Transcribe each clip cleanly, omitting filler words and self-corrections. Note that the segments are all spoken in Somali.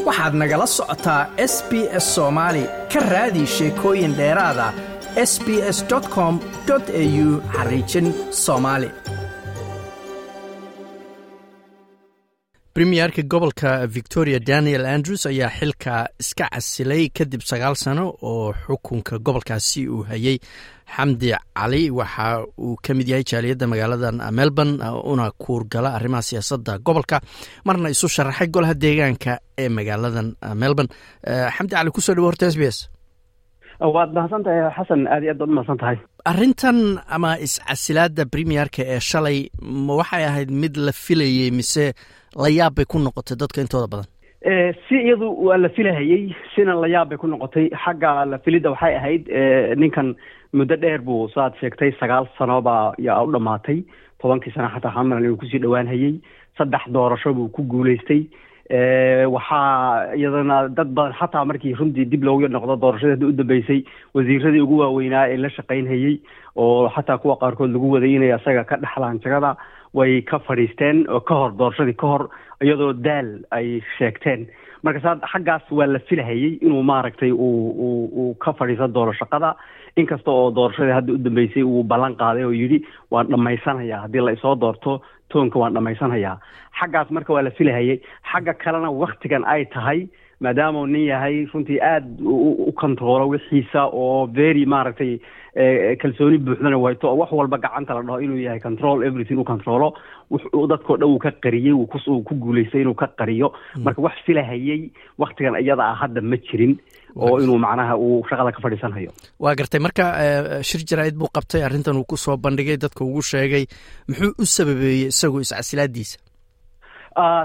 Waxaad nagala socotaa SBS Soomaali. Ka raadi sheekooyin dheeraada sbs.com.au/Somali. Premierka gobolka Victoria Daniel Andrews ayaa xilka iska casilay kadib 9 sano oo xukunka gobolkaasi uu hayay. Xamdi Cali waxa uu ka mid yahay jaaliyadda magaalada Melbourne, una kuurgala arrimaha siyaasadda gobolka, marna isu sharaxay golaha deegaanka ee magaaladan Melbourne. Xamdi Cali, kusoo dhawo horta SBS. Waad mahadsan tahay, Xasan, aad iyo aad baad umahadsan tahay. Arrintan ama iscasilaada premierka ee shalay, ma waxay ahayd mid la filayey mise la yaab bay ku noqotay dadka intooda badan? Si iyadu waa la filahayey, sina la yaab bay ku noqotay. Xagga la filidda waxay ahayd, ninkan muddo dheer buu, saad sheegtay, 9 sano baa yaa u dhamaatay. 10kii sano xataa xamalan inuu kusii dhowaan hayey. Saddex doorasho buu ku guuleystay. Waxaa iyadana dad badan xataa markii runtii dib loogu noqdo doorashadii hadda u dambeysay, wasiiradii ugu waaweynaa ee la shaqaynhayey oo xataa kuwa qaarkood lagu waday inay asaga ka dhexlaan jagada way ka fadhiisteen oo ka hor doorashadii ka hor, iyadoo daal ay sheegteen. Marka saa xaggaas waa la filahayey inuu maaragtay uu ka fadhiisan doono shaqada, inkasta oo doorashadii hadda u dambeysay uu ballan qaaday oo yidhi waan dhammaysanhayaa haddii la isoo doorto, toonka waan dhammaysanhayaa. Xaggaas marka waa la filahayey. Xagga kalena waktigan ay tahay, maadaama uu nin yahay runtii aada u controlo wixiisa oo very maaragtay kalsooni buuxdana wayto oo wax walba gacanta la dhaho inuu yahay control everything u controlo, dadkao dhan uu ka qariyey, uu ku guulaystay inuu ka qariyo. Marka wax filahayey waktigan iyada ah hadda ma jirin oo inuu macnaha uu shaqada ka fadhiisanhayo. Waa gartay. Marka shir jaraa'id buu qabtay, arrintan uu ku soo bandhigay, dadka ugu sheegay. Muxuu u sababeeyey isagu iscasilaadiisa?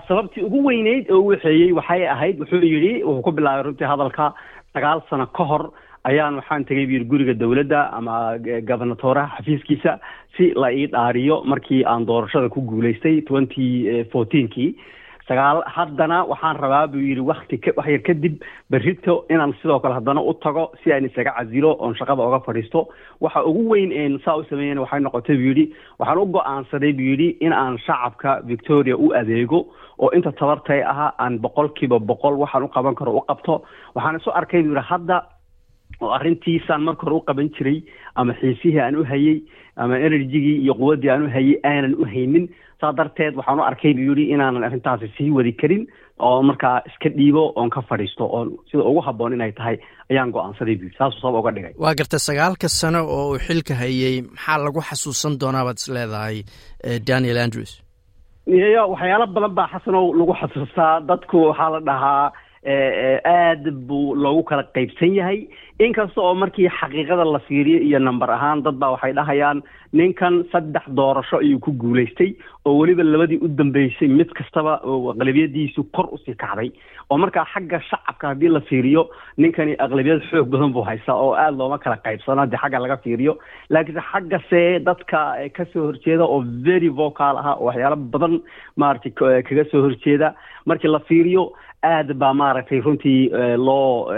Sababtii ugu weyneyd oo u waxeeyey waxay ahayd, wuxuu yidhi, wuxuu ku bilaabay runtii hadalka, 9 sano ka hor ayaan waxaan tegay buu yidhi guriga dowladda ama gobernatoraha xafiiskiisa si la ii dhaariyo markii aan doorashada ku guulaystay 2014kii. Sagaal haddana waxaan rabaa, buu yidhi, wakti wax yar kadib berrito inaan sidoo kale haddana u tago si aan isaga casilo oon shaqada oga fadhiisto. Waxa ugu weyn een saa u sameeyena waxay noqotay, buu yidhi, waxaan u go-aansaday, buu yidhi, in aan shacabka Victoria u adeego oo inta tabartay ahaa aan 100% waxaan u qaban karo u qabto. Waxaan isu arkay, buu yidhi, hadda oo arrintiisaan marka hore u qaban jiray ama xiisihii aan u hayey ama energygii iyo quwaddii aan u hayey aanan u haynin. Saa darteed waxaan u arkay, buu yidhi, inaanan arrintaasi sii wadi karin oo markaa iska dhiibo oon ka fadhiisto oon sida ugu habboon inay tahay ayaan go-aansaday, buu yidhi. Saasuu sabab uga dhigay. Waa gartay. 9ka sano oo uu xilka hayey, maxaa lagu xasuusan doonaa baad is leedahay Daniel Andrews? Iyo waxyaalo badan baa, Xasanow, lagu xasuustaa. Dadku waxaa la dhahaa aad buu loogu kala qaybsan yahay, inkasta oo markii xaqiiqada la fiiriyo iyo number ahaan dad baa waxay dhahayaan ninkan saddex doorasho ayuu ku guulaystay oo weliba labadii u dambeysay mid kastaba aqlabiyadiisu kor usii kacday, oo markaa xagga shacabka haddii la fiiriyo ninkani aqlabiyad xoog badan buu haystaa oo aada looma kala qaybsano haddii xagga laga fiiriyo. Laakiinse xaggase dadka kasoo horjeeda oo very vocal ah oo waxyaalo badan maaragtay kaga soo horjeeda, markii la fiiriyo aad baa maaragtay runtii loo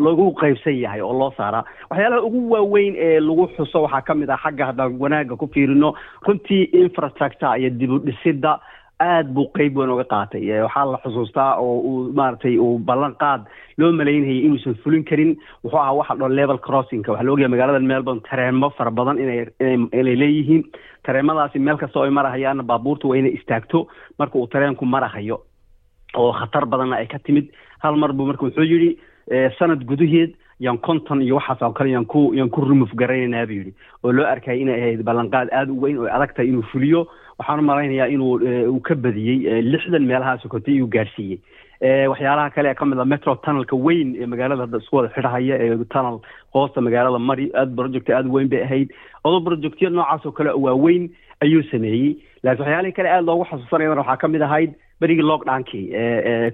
loogu qaybsan yahay oo loo saaraa. Waxyaalaha ugu waaweyn ee lagu xuso waxaa ka mid ah, xagga haddaan wanaagga ku fiirino, runtii infrastructure iyo dib u dhisidda aad buu qeyb weyn uga qaatay. Waxaa la xusuustaa oo uu maaragtay uu ballan qaad loo malaynayay inuusan fulin karin wuxuu ahaa waxa dhon level crossingka. Waxaa la ogyahay magaalada Melbourne tareemo fara badan inay leeyihiin. Tareemadaasi meel kasta oo ay marahayaanna baabuurta waa inay istaagto marka uu tareenku marahayo, oo khatar badanna ay ka timid. Hal mar buu marka wuxuu yidhi sanad gudaheed yaan 50 iyo waxaas oo kale yaan ku remove garaynaynaa, buu yidhi, oo loo arkayay inay ahayd ballanqaad aada u weyn oo adag tahay inuu fuliyo. Waxaan u malaynayaa inuu uu ka badiyey, 60 meelahaas kotay iyuu gaarsiiyey. Waxyaalaha kale ee kamid ah, metro tunnelka weyn ee magaalada hadda isku wada xidhahaya ee tunnel hoosta magaalada mari, aad project aada weyn bay ahayd. Odo projectyo noocaas oo kale waaweyn ayuu sameeyey. Laakiin waxyaalihii kale aada loogu xasuusanayana waxaa kamid ahayd berigii lockdownkii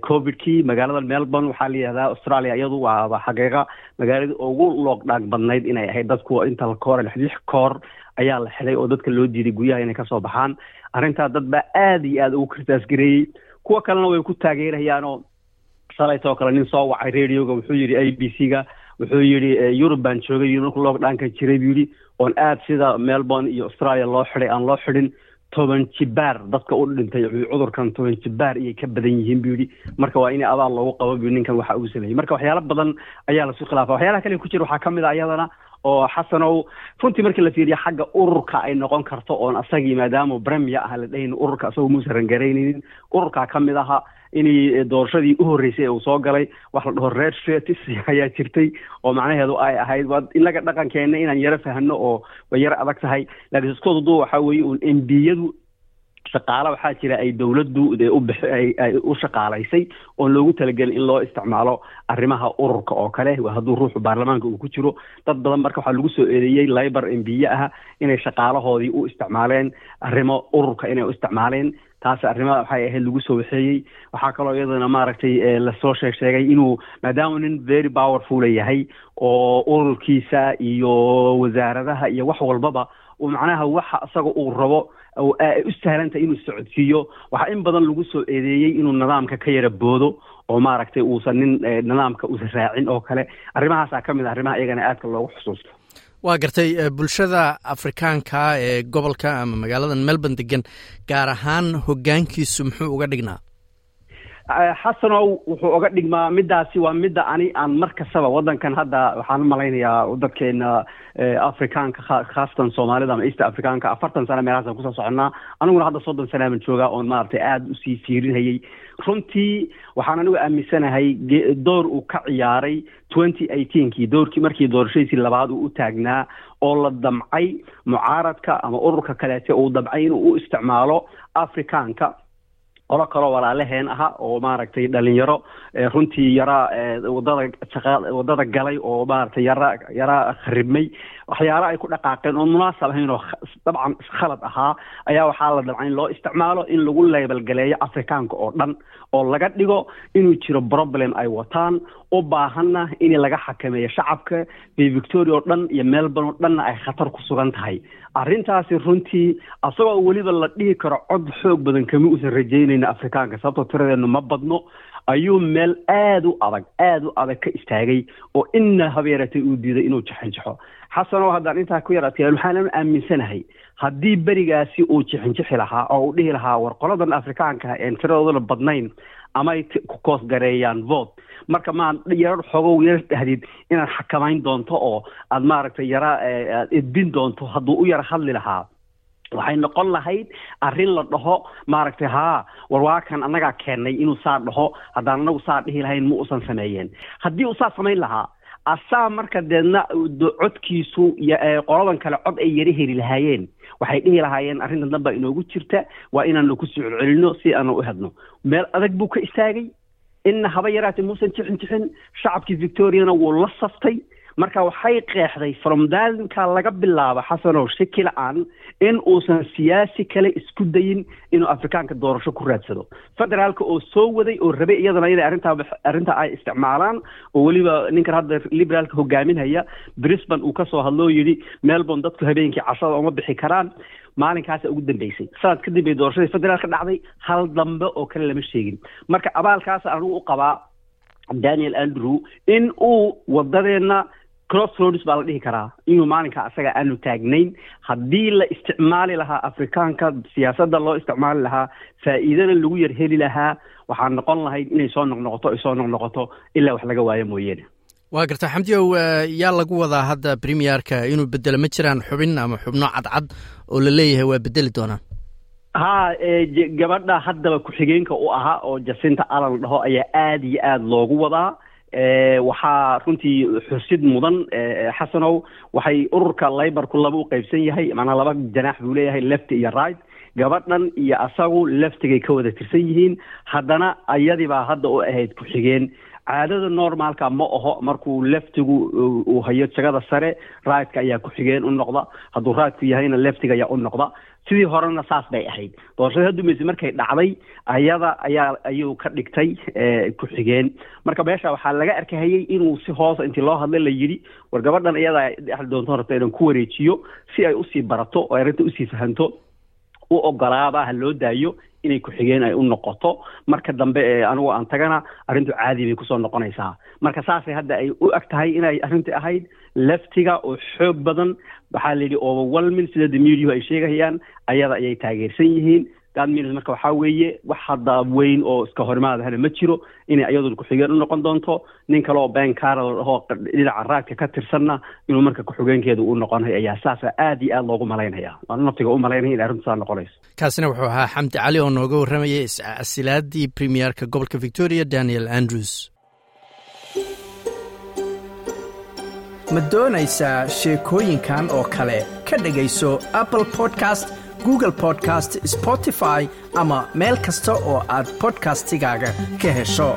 Covidkii. Magaalada Melbourne waxaa la yihahdaa Australia iyadu waa xaqiiqa magaaladii ugu lockdown badnayd inay ahayd. Dadku inta koor lix koor ayaa la xidhay oo dadka loo diiday guryaha inay kasoo baxaan. Arrintaa dad baa aada iyo aada ugu criticize gareeyey, kuwa kalena way ku taageerayaanoo shalaytoo kale nin soo wacay radioga wuxuu yidhi ABC-ga, wuxuu yidhi Yurub baan joogay markuu lockdownka jiray, buu yidhi, oon aad sida Melbourne iyo Australia loo xidhay aan loo xidhin. 10 jibaar dadka u dhintay cudurkan, 10 jibaar iyay ka badan yihiin, buu yidhi. Marka waa in abaal loogu qabo, buu ninkan waxa uu sameeyey. Marka waxyaalo badan ayaa lasu khilaafa. Waxyaalaha kale ku jira waxaa ka mid a iyadana oo, Xasanow, runtii markii la fiiriyo xagga ururka ay noqon karto oon asagii maadaama premier ah la dhahayn ururka asagoo muusan run garaynaynin. Ururkaa ka mid aha inay doorashadii u horreysay ee uu soo galay wax la dhaho red shirts ayaa jirtay, oo macnaheedu ay ahayd, waa inaga dhaqankeena inaan yaro fahno oo way yaro adag tahay, laakiin iskoodudu waxaa weeye uun MP-yadu shaqaale waxaa jira ay dowladdu ay u shaqaalaysay oon loogu talagelin in loo isticmaalo arrimaha ururka oo kale, waa hadduu ruuxu baarlamaanka uu ku jiro. Dad badan marka waxaa lagu soo eedeeyey Labor MP ah inay shaqaalahoodii u isticmaaleen arrimo ururka inay u isticmaaleen. Taas arrimaha waxay ahayd lagu soo waxeeyey. Waxaa kaloo iyadana maaragtay lasoo sheegay inuu maadaama nin very powerful yahay oo ururkiisa iyo wasaaradaha iyo wax walbaba uu macnaha waxa isaga uu rabo ay u sahlantahay inuu socodsiiyo, waxaa in badan lagu soo eedeeyey inuu nidaamka ka yara boodo oo maaragtay uusan nin nidaamka uusan raacin oo kale. Arrimahaasaa ka mid ah arrimaha iyagana aadka loogu xusuusto. Waa gartay. Bulshada Afrikaanka ee gobolka ama magaalada Melbourne degan gaar ahaan, hoggaankiisu muxuu uga dhignaa? Xasanow, wuxuu uga dhigmaa middaasi waa midda ani aan mar kastaba waddankan hadda waxaan u malaynayaa dadkeena Afrikaanka, khaasatan Soomaalida ama East Afrikaanka, 40 sano meelahaasaan kusoo soconnaa. Aniguna hadda 30 sanaaban joogaa oon maaragtay aada usii fiirinhayay. Runtii waxaan anigu aaminsanahay door uu ka ciyaaray 2018-kii, doorkii markii doorashadiisii labaad uu u taagnaa oo la damcay mucaaradka ama ururka kaleete uu damcay inuu u isticmaalo Afrikaanka, qolo kaloo walaalaheen aha oo maaragtay dhalinyaro runtii yara wadada shaqa wadada galay oo maaragtay yara yara kharibmay, waxyaalo ay ku dhaqaaqeen oon munaasab ahayn oo dabcan khalad ahaa ayaa waxaa la damcay in loo isticmaalo in lagu label galeeyo Afrikaanka oo dhan oo laga dhigo inuu jiro problem ay wataan, u baahanna in laga xakameeyo shacabka Victoria oo dhan iyo Melbourne oo dhanna ay khatar ku sugan tahay. Arrintaasi runtii asagoo weliba la dhihi karo cod xoog badan kama uusan rajaynayna Afrikaanka, sababtoo tiradeenu ma badno, ayuu meel aada u adag, aada u adag ka istaagay oo inna habeeratay uu diiday inuu jixinjixo. Xasanow, haddaan intaa ku yar adkeeyan, waxaan aaminsanahay haddii berigaasi uu jixinjixi lahaa oo uu dhihi lahaa, "War qoladan Afrikaanka een tiradooduna badnayn amay ku koosgareeyaan vote," marka maa yarar xogow yar dhahdid inaad xakamayn doonto oo aad maaragtay yara aad edbin doonto, hadduu u yara hadli lahaa, waxay noqon lahayd arrin la dhaho maaragtay, "Haa, war waa kan annagaa keennay inuu saa dhaho. Haddaan anagu saa dhihi lahayn ma uusan sameeyeen." Haddii uu saa samayn lahaa asaa marka deedna codkiisu qoladan kale cod ay yara heli lahaayeen, waxay dhihi lahaayeen, "Arrintan dan baa inoogu jirta, waa inaanu kusoo celcelinno si aanu u hedno." Meel adag buu ka istaagay, inna haba yaraatee muusan jixin jixin, shacabkii Victoriana wuu la saftay. Marka waxay qeexday from daalinka laga bilaabo, Xasanow, shaki la-aan in uusan siyaasi kale isku dayin inuu Afrikaanka doorasho ku raadsado. Federaalka oo soo waday oo rabay iyadana inay arrintaa ay isticmaalaan, oo weliba ninkan hadda Liberaalka hogaaminhaya Brisbane uu kasoo hadloo yidhi, "Melbourne dadku habeenkii cashada uma bixi karaan," maalinkaasa ugu dambeysay. Sanad kadib bay doorashadii federaalka dhacday, hal dambe oo kale lama sheegin. Marka abaalkaas anigu u qabaa Daniel Andrew in uu wadadeenna crossroads baa la dhihi karaa inuu maalinka asaga aanu taagnayn haddii la isticmaali lahaa Afrikaanka, siyaasadda loo isticmaali lahaa, faa'iidana lagu yar heli lahaa, waxaa noqon lahayd inay soo noqnoqoto, ay soo noqnoqoto ilaa wax laga waayo mooyeene. Waa garta, Xamdiyow. Yaa lagu wadaa hadda premierka inuu bedelo? Ma jiraan xubin ama xubno cadcad oo la leeyahay waa bedeli doonaan? Ha, gabadha haddaba ku-xigeenka u ahaa oo Jacinta Allan dhaho ayaa aada iyo aada loogu wadaa. Waxaa runtii xusid mudan, Xasanow, waxay ururka Laborku laba u qaybsan yahay, macnaha laba janaax buu leeyahay, left iyo right. Gabadhan iyo asagu leftigay ka wada tirsan yihiin, haddana ayadii baa hadda u ahayd ku-xigeen. Caadada normaalka ma aho markuu leftigu uu hayo jagada sare, rightka ayaa ku-xigeen u noqda, hadduu rightku yahayna leftiga ayaa u noqda. Sidii horena saas bay ahayd. Doorashadii hadumayse markay dhacday ayada ayaa ayuu ka dhigtay ku-xigeen. Marka meesha waxaa laga arkahayay inuu si hoosa intii loo hadlay la yidhi, "War gabadhan iyadaa dhexli doonto, rabta inaan ku wareejiyo si ay usii barato oo arrinta usii fahanto, u ogolaaba ha loo daayo." Inay ku-xigeen ay u noqoto marka dambe ee anigu aan tagana, arrintu caadi bay kusoo noqonaysaa. Marka saasay hadda ay u eg tahay inay arrintii ahayd leftiga oo xoog badan. Waxaa la yidhi overwhelming, sida the media ay sheegayaan, ayada ayay taageersan yihiin. That means marka waxaa weeye wax hadda weyn oo iska horimaadahana ma jiro, inay iyaduna ku-xigeen u noqon doonto. Nin kale oo Ben Carroll oo dhinaca right-ka ka tirsanna inuu marka ku-xigeenkeeda u noqonayo ayaa saasa aad iyo aad loogu malaynaya. Waan naftiga u malaynaya in arrintu saa noqonayso. Kaasina wuxuu ahaa Xamdi Cali oo nooga warramayay iscasilaadii premierka gobolka Victoria, Daniel Andrews. Ma doonaysaa sheekooyinkan oo kale? Ka dhegayso Apple Podcast, Google Podcast, Spotify ama meel kasta oo aad podcastigaaga ka hesho.